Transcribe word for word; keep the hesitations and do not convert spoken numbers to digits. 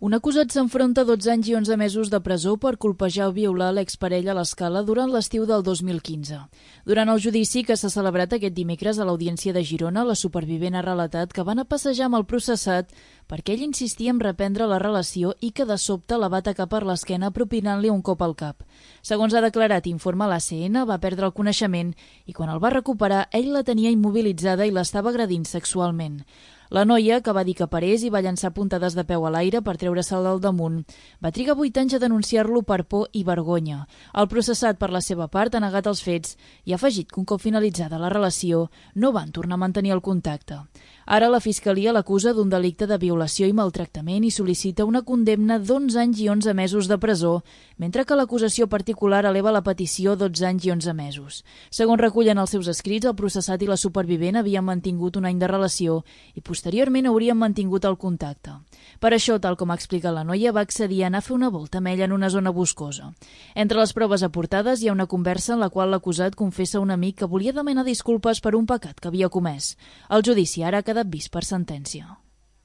Un acusat s'enfronta a dotze anys i onze mesos de presó per colpejar o violar l'exparella a l'Escala durant l'estiu del dos mil quinze. Durant el judici que s'ha celebrat aquest dimecres a l'Audiència de Girona, la supervivent ha relatat que van a passejar amb el processat perquè ell insistia en reprendre la relació i que de sobte la va atacar per l'esquena propinant-li un cop al cap. Segons ha declarat Informa l'A C N, va perdre el coneixement i quan el va recuperar ell la tenia immobilitzada i l'estava agredint sexualment. La noia, que va dir que parés i va llançar puntades de peu a l'aire per treure-se'l del damunt, va trigar vuit anys a denunciar-lo per por i vergonya. El processat, per la seva part, ha negat els fets i ha afegit que un cop finalitzada la relació no van tornar a mantenir el contacte. Ara la Fiscalia l'acusa d'un delicte de violació i maltractament i sol·licita una condemna d'onze anys i onze mesos de presó, mentre que l'acusació particular eleva la petició dotze anys i onze mesos. Segons recullen els seus escrits, el processat i la supervivent havien mantingut un any de relació i posteriorment haurien mantingut el contacte. Per això, tal com explica la noia, va accedir a anar a fer una volta amb ella en una zona boscosa. Entre les proves aportades hi ha una conversa en la qual l'acusat confessa a un amic que volia demanar disculpes per un pecat que havia comès. El judici ara ha quedat vist per sentència.